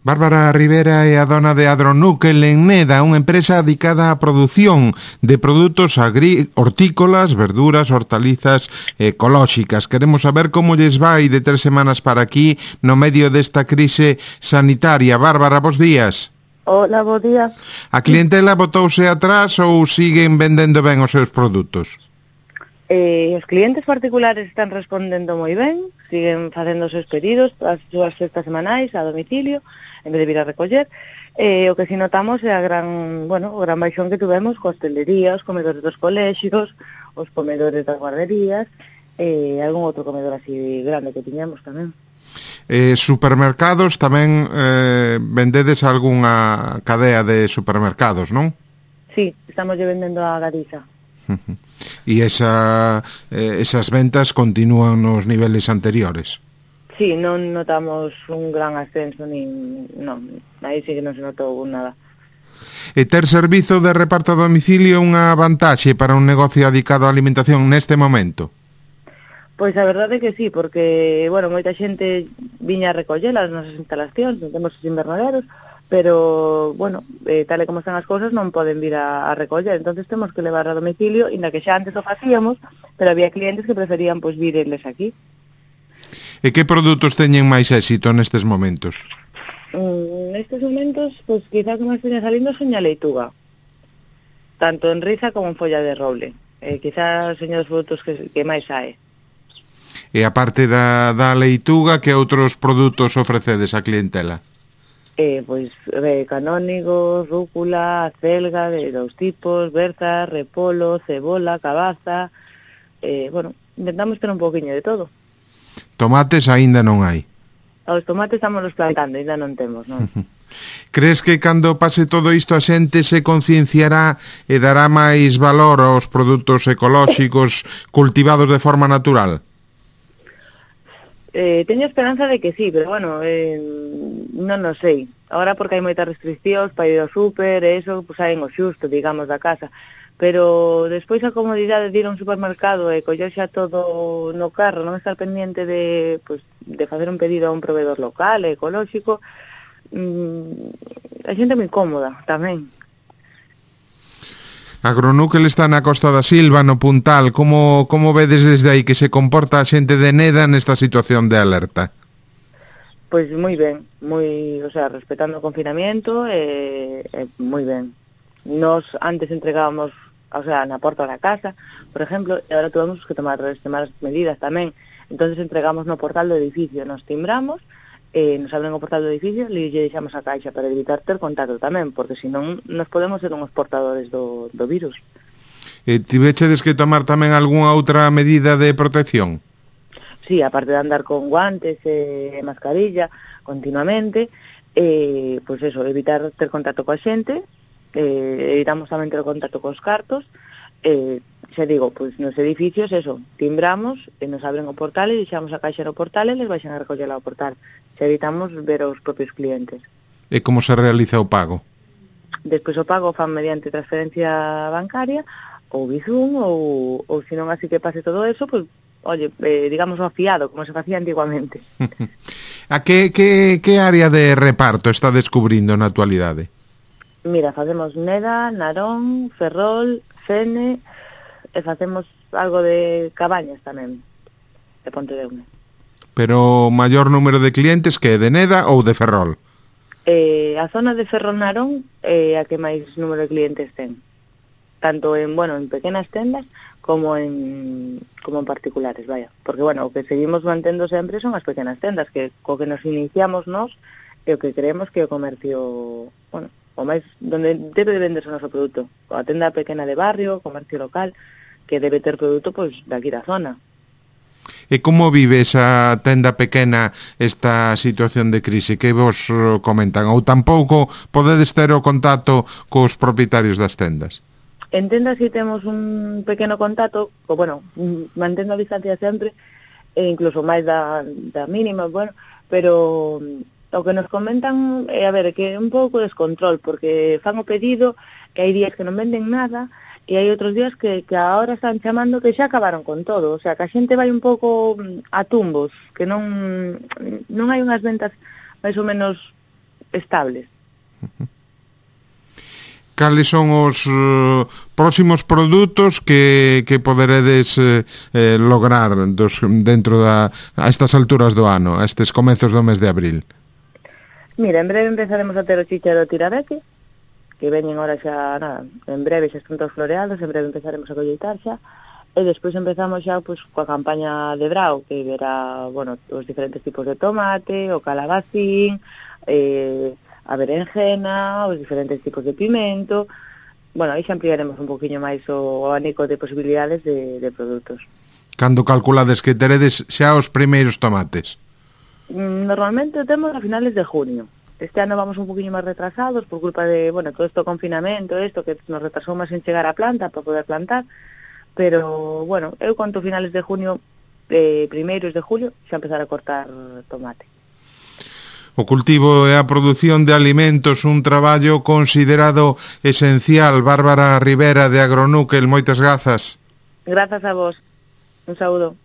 Bárbara Rivera é a dona de Agronúquel en Neda, unha empresa dedicada á produción de produtos hortícolas, verduras, hortalizas ecolóxicas. Queremos saber como lles vai de 3 semanas para aquí no medio desta crise sanitaria. Bárbara, bos días. Hola, bo día. A clientela botouse atrás ou siguen vendendo ben os seus produtos? Os clientes particulares están respondendo moi ben, siguen facendo os seus pedidos, as súas cestas semanais a domicilio, en vez de vir a recoller. O que si notamos é o gran baixón que tuvemos coa hostelería, os comedores dos colexios, os comedores das guarderías, e algún outro comedor así grande que tiñamos tamén. Supermercados tamén vendedes algunha cadea de supermercados, non? Sí, estamos vendendo a Galiza. E esas ventas continúan nos niveles anteriores? Sí, non notamos un gran ascenso, non, aí sí que non se notou nada. E ter servizo de reparto a domicilio é unha vantaxe para un negocio dedicado á alimentación neste momento? Pois a verdade é que sí, porque, moita xente viña a recoller as nosas instalacións, non temos os invernaderos, pero, tal e como están as cousas non poden vir a recoller, entonces temos que levar a domicilio, inda que xa antes o facíamos, pero había clientes que preferían vir eles aquí. E que produtos teñen máis éxito nestes momentos? Nestes momentos, quizás o máis teña salindo son a leituga, tanto en riza como en folla de roble, quizás son os produtos que máis sae. E a parte da leituga, que outros produtos ofrecedes á clientela? Canónigos, rúcula, acelga de dous tipos, berza, repolo, cebola, cabaza, intentamos ter un poquinho de todo. Tomates aínda non hai? Os tomates estamos plantando, aínda non temos, non? Crees que cando pase todo isto a xente se concienciará e dará máis valor aos produtos ecolóxicos cultivados de forma natural? Teño esperanza de que sí, pero non o sei. Ahora porque hai moitas restriccións para ir ao súper e eso, saen o xusto, digamos, da casa. Pero despois a comodidade de ir a un supermercado e coller xa todo no carro, non estar pendiente de facer un pedido a un proveedor local, ecolóxico, a xente é moi cómoda tamén. Agronúquel está na Costa da Silva, no Puntal. Como vedes desde aí que se comporta a xente de Neda nesta situación de alerta? Pois moi ben, respetando o confinamiento, moi ben. Nos antes entregábamos, na porta da casa, por exemplo, e agora tuvemos que tomar medidas tamén. Entonces entregamos no portal do edificio, nos timbramos, nos abren o portal do edificio e lle deixamos a caixa para evitar ter contacto tamén, porque senón nos podemos ser unhos portadores do virus. Tivechedes que tomar tamén algunha outra medida de protección? Sí, aparte de andar con guantes e mascarilla continuamente, evitar ter contacto coa xente, evitamos tamén ter contacto cos cartos, xa digo, nos edificios, timbramos, e nos abren o portal e deixamos a caixa no portal e les baixan a recollela ao portal. Xa evitamos ver aos propios clientes. E como se realiza o pago? Despois o pago fan mediante transferencia bancaria, ou Bizum, ou senón así que pase todo eso, digamos o fiado, como se facía antiguamente. A que área de reparto está descubrindo na actualidade? Mira, facemos Neda, Narón, Ferrol, Fene, e facemos algo de Cabañas tamén, de Pontedeume. Pero o maior número de clientes que é de Neda ou de Ferrol? A zona de Ferrol Narón é a que máis número de clientes ten, tanto en pequenas tendas como en particulares, porque o que seguimos mantendo sempre son as pequenas tendas, que co que nos iniciamos nós e o que creemos que o comercio, o máis donde debe de venderse o noso produto, a tenda pequena de barrio, o comercio local, que debe ter produto daqui da zona. E como vive esa tenda pequena esta situación de crise? Que vos comentan? Ou tampouco podedes ter o contacto cos propietarios das tendas? En tendas si temos un pequeno contacto, mantendo a distancia sempre, e incluso máis da mínima, pero o que nos comentan é, que é un pouco descontrol, porque fan o pedido, que hai días que non venden nada, e hai outros días que agora están chamando que xa acabaron con todo, o sea, que a xente vai un pouco a tumbos, que non hai unhas ventas máis ou menos estables. Cales son os próximos produtos que poderedes lograr dentro a estas alturas do ano, a estes comezos do mes de abril? Mira, en breve empezaremos a ter o chícharo tirabeque, que veñen ahora xa, nada, en breve xa están todos floreados, en breve empezaremos a colleitar xa, e despois empezamos xa pois, coa campaña de brao, que verá, bueno, os diferentes tipos de tomate, o calabacín, a berenjena, os diferentes tipos de pimento. Bueno, aí xa ampliaremos un poquinho máis o abanico de posibilidades de produtos. Cando calculades que teredes xa os primeiros tomates? Normalmente o temos a finales de junio. Este ano vamos un poquinho máis retrasados por culpa de, bueno, todo isto confinamento, isto que nos retrasou máis en chegar a planta para poder plantar, pero, bueno, eu conto finales de junio, primeiros de julio, xa empezar a cortar tomate. O cultivo e a produción de alimentos, un traballo considerado esencial. Bárbara Rivera, de Agronúquel, moitas grazas. Grazas a vos. Un saúdo.